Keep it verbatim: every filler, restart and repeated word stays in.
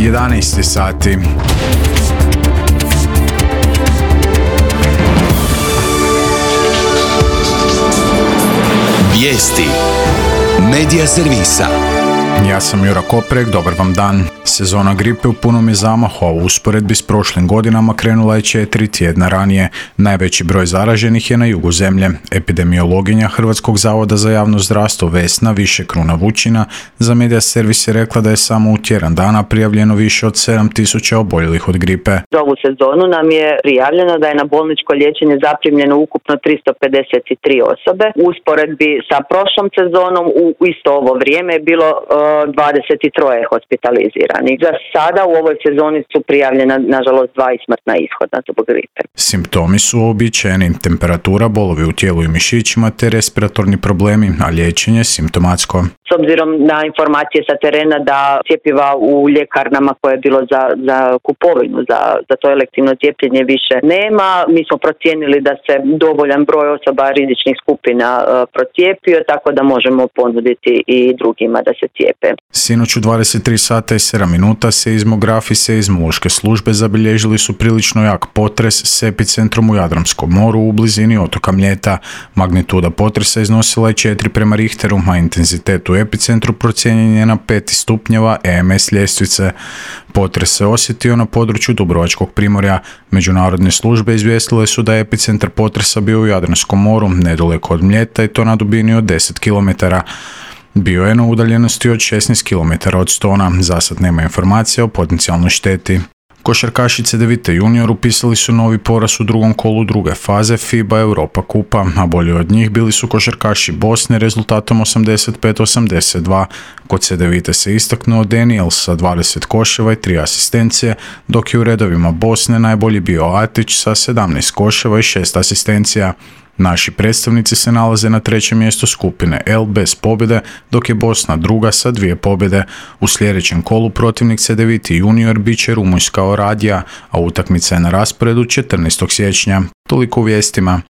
jedanaest sati. Vijesti Medija servisa. Ja sam Jura Koprek, dobar vam dan. Sezona gripe u punom je zamahu, a u usporedbi s prošlim godinama krenula je četiri tjedna ranije. Najveći broj zaraženih je na jugu zemlje. Epidemiologinja Hrvatskog zavoda za javno zdravstvo Vesna Više-Kruna Vučina za Medija servis je rekla da je samo u tjedan dana prijavljeno više od sedam tisuća oboljelih od gripe. Za ovu sezonu nam je prijavljeno da je na bolničko liječenje zaprimljeno ukupno tristo pedeset tri osobe. U usporedbi sa prošlom sezonom u isto ovo vrijeme je bilo dvadeset tri hospitalizirani. Za sada u ovoj sezoni su prijavljena, nažalost, dva smrtna ishoda zbog gripe. Simptomi su uobičajeni: temperatura, bolovi u tijelu i mišićima te respiratorni problemi, a liječenje simptomatsko. S obzirom na informacije sa terena da cjepiva u ljekarnama koje je bilo za, za kupovinu, za, za to elektivno cijepljenje više nema, mi smo procijenili da se dovoljan broj osoba rizičnih skupina uh, procijepio, tako da možemo ponuditi i drugima da se cijepe. Sinoć u dvadeset tri sata i sedam minuta seizmografi seizmološke službe zabilježili su prilično jak potres s epicentrom u Jadranskom moru u blizini otoka Mljeta. Magnituda potresa iznosila je četiri prema Richteru, a intenzitet u epicentru procijenjen je na pet stupnjeva E M S ljestvice. Potres se osjetio na području Dubrovačkog primorja. Međunarodne službe izvijestile su da je epicentar potresa bio u Jadranskom moru, nedaleko od Mljeta, i to na dubini od deset kilometara. Bio je na udaljenosti od šesnaest kilometara od Stona. Zasad nema informacija o potencijalnoj šteti. Košarkaši Cedevite junior upisali su novi poraz u drugom kolu druge faze FIBA Europa kupa, a bolji od njih bili su košarkaši Bosne rezultatom osamdeset pet osamdeset dva. Kod Cedevite se istaknuo Daniels sa dvadeset koševa i tri asistencije, dok je u redovima Bosne najbolji bio Atić sa sedamnaest koševa i šest asistencija. Naši predstavnici se nalaze na trećem mjestu skupine L bez pobjede, dok je Bosna druga sa dvije pobjede. U sljedećem kolu protivnik Cedevite junior bit će Rumunjska Oradija, a utakmica je na rasporedu četrnaestog siječnja. Toliko u vijestima.